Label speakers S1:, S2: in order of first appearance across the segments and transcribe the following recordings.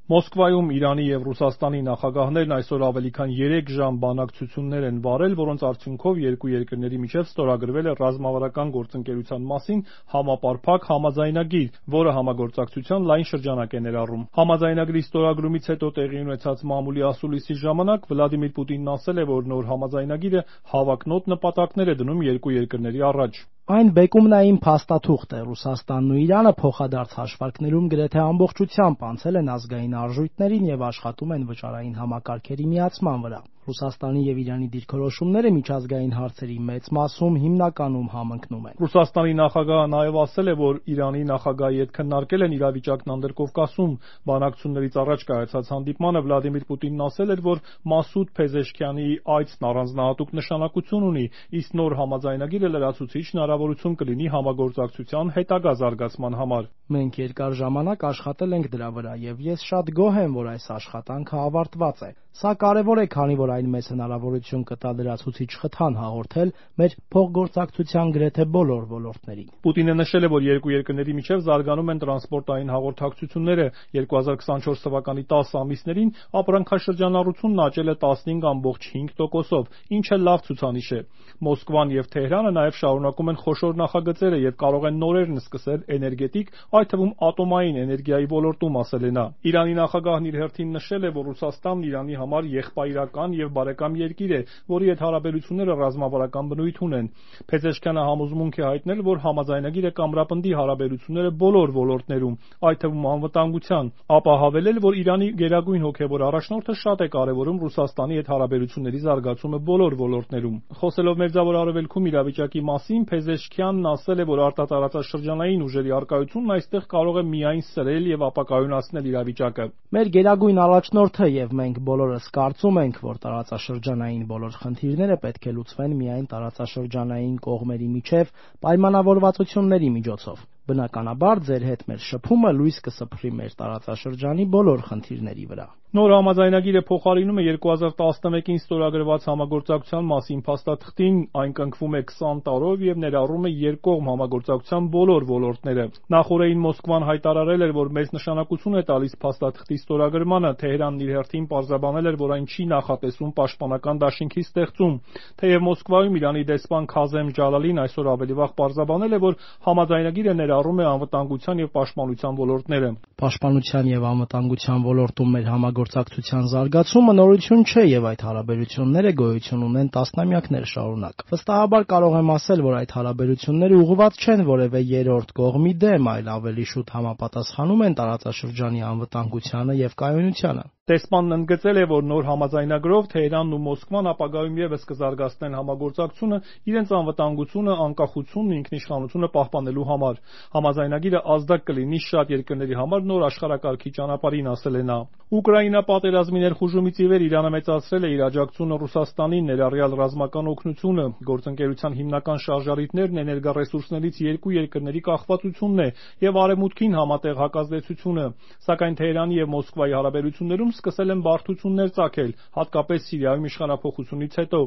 S1: Մոսկվայում Իրանի և Ռուսաստանի նախագահներն այսօր ավելի քան 3 ժամ բանակցություններ են վարել, որոնց արդյունքով երկու երկրների միջև ստորագրվել է ռազմավարական գործընկերության մասին համապարփակ համաձայնագիր, որը համագործակցության լայն շրջանակ է ներառում։ Համաձայնագրի ստորագրումից հետո տեղի ունեցած մամուլի ասուլիսի ժամանակ Վլադիմիր Պուտինն ասել է, որ նոր համաձայնագիրը հավակնոտ նպատակներ է դնում երկու երկրների առաջ։
S2: Այն բեկումնային փաստաթուղթ է։ Ռուսաստանն ու Իրանը փոխադարձ հաշվարկներում գրեթե ամբողջությամբ անցել են ազգային արժույթներին և աշխատում են վճարային համակարգերի միացման վրա։ Ռուսաստանի և Իրանի դիրքորոշումները միջազգային հարցերի մեծ մասում հիմնականում համընկնում են։
S1: Ռուսաստանի նախագահը նաև ասել է, որ Իրանի նախագահի հետ քննարկել են իրավիճակն Անդրկովկասում։ Բանակցություններից առաջ կայացած հանդիպմանը Վլադիմիր Պուտինն ասել էր, որ Մասուդ Փեզեշքյանի այցն առանձնահատուկ նշանակություն ունի, իսկ նոր համաձայնագիրը լրացուցիչ հնարավորություն կլինի համագործակցության հետագա զարգացման համար։
S2: Մենք երկար ժամանակ աշխատել ենք դրա վրա, և ես շատ գոհ եմ, որ այս աշխատանքը ավարտված է։ Սա կարևոր է, քանի որ այն մեզ հնարավորություն կտա լրացուցիչ խթան հաղորդել մեր փոխգործակցության գրեթե բոլոր ոլորտներին։
S1: Պուտինը նշել է, որ երկու երկրների միջև զարգանում են տրանսպորտային հաղորդակցությունները։ 2024 թվականի 10 ամիսներին ապրանքաշրջանառությունն աճել է 15.5%-ով, ինչը լավ ցուցանիշ է։ Մոսկվան և Թեհրանը նաև շարունակում են խոշոր նախագծերը և կարող են նորերն սկսել էներգետիկ, այդ թվում ատոմային էներգիայի ոլորտում, ասել է նա։ Իրանի նախագահն իր հերթին նշել է, որ Ռուսաստանն Իրանի համար եղբայրական և բարեկամ երկիր է, որի հետ հարաբերությունները ռազմավարական բնույթ ունեն։ Փեզեշքյանը համոզմունք է հայտնել, որ համաձայնագիրը կամրապնդի հարաբերությունները բոլոր ոլորտներում, այդ թվում անվտանգության, ապա հավելել, որ Իրանի գերագույն հոգևոր առաջնորդը շատ է կարևորում Ռուսաստանի հետ հարաբերությունների զարգացումը բոլոր ոլորտներում։ Խոսելով Մերձավոր Արևելքում իրավիճակի մասին, Փեզեշքյանն ասել է, որ արտատարածաշրջանային ուժերի առկայությունն այստեղ կարող է միայն սրել և ապակայունացնել իրավիճակը։
S2: Մեր գերագույն առաջնորդը և մենք բոլորս կարծում ենք, որ տարածաշրջանային բոլոր խնդիրները պետք է լուծվեն միայն տարածաշրջանային կողմերի միջև պայմանավորվածությունների միջոցով։ Բնականաբար, ձեր հետ մեր շփումը լույս կսփռի մեր տարածաշրջանի բոլոր խնդիրների վրա։
S1: Նոր համաձայնագիրը փոխարինում է 2011-ին ստորագրված համագործակցության մասին փաստաթղթին, այն կնքվում է 20 տարով և ներառում է երկկողմ համագործակցության բոլոր ոլորտները։ Նախօրեին Մոսկվան հայտարարել էր, որ մեծ նշանակություն է տալիս փաստաթղթի ստորագրմանը։ Թեհրանն իր հերթին պարզաբանել էր, որ այն չի նախատեսում պաշտպանական դաշինքի ստեղծում։ Թեև Մոսկվայում Իրանի դեսպան Քազեմ Ջալալին այսօր ավելի վաղ պարզաբանել է, որ համաձայնագիրը ներառում է անվտանգության և պաշտպանության ոլորտները։
S2: Պաշտպանության և անվտանգության ոլորտում մեր համագործակցության զարգացումը նորություն չէ, և այդ հարաբերությունները գոյություն ունեն տասնամյակներ շարունակ։ Վստահաբար կարող եմ ասել, որ այդ հարաբերությունները ուղղված չեն որևէ երրորդ կողմի դեմ, այլ ավելի շուտ համապատասխանում են տարածաշրջանի անվտանգությանը և կայունությանը։
S1: Դեսպանն ընդգծել է, որ նոր համաձայնագրով Թեհրանն ու Մոսկվան ապագայում ևս կզարգացնեն համագործակցությունը իրենց անվտանգությունը, անկախությունն ու ինքնիշխանությունը պահպանելու համար։ Համաձայնագիրը ազդակ կլինի շատ երկրների համար նոր աշխարհակարգի ճանապարհին, ասել է նա։ Ուկրաինա պատերազմի ներխուժումից ի վեր Իրանը մեծացրել է իր աջակցությունը Ռուսաստանին, ներառյալ ռազմական օգնությունը։ Գործընկերության հիմնական շարժառիթներն էներգառեսուրսներից երկու երկրների կախվածությունն է և Արևմուտքին համատեղ հակազդեցությունը։ Սակայն Թեհրանի և Մոսկվայի հարաբերություններում սկսել են բարդություններ ծագել, հատկապես Սիրիայում իշխանափոխությունից հետո։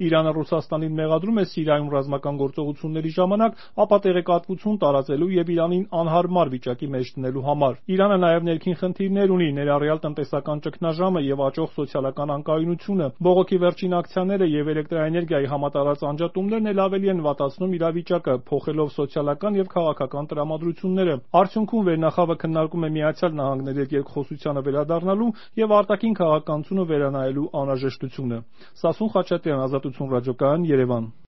S1: Իրանը Ռուսաստանին մեղադրում է Սիրիայում ռազմական գործողությունների ժամանակ ապա տեղեկատվություն տարածելու և Իրանին անհարմար վիճակի մեջ դնելու համար։ Իրանը նաև ներքին խնդիրներ ունի, ներառյալ տնտեսական ճգնաժամը և աճող սոցիալական անկայունությունը։ Բողոքի վերջին ակցիաները և էլեկտրաէներգիայի համատարած անջատումներն էլ ավելի են վատացնում իրավիճակը, փոխելով սոցիալական և քաղաքական տրամադրությունները։ Արդյունքում վերնախավը քննարկում է ԱՄՆ-ի հետ երկխոսությանը վերադառնալու և արտաքին քաղաքականությունը վերանայելու անհրաժեշտությունը։ Սասուն Խաչատրյան, Ազատություն ռադիոկայան, Երևան։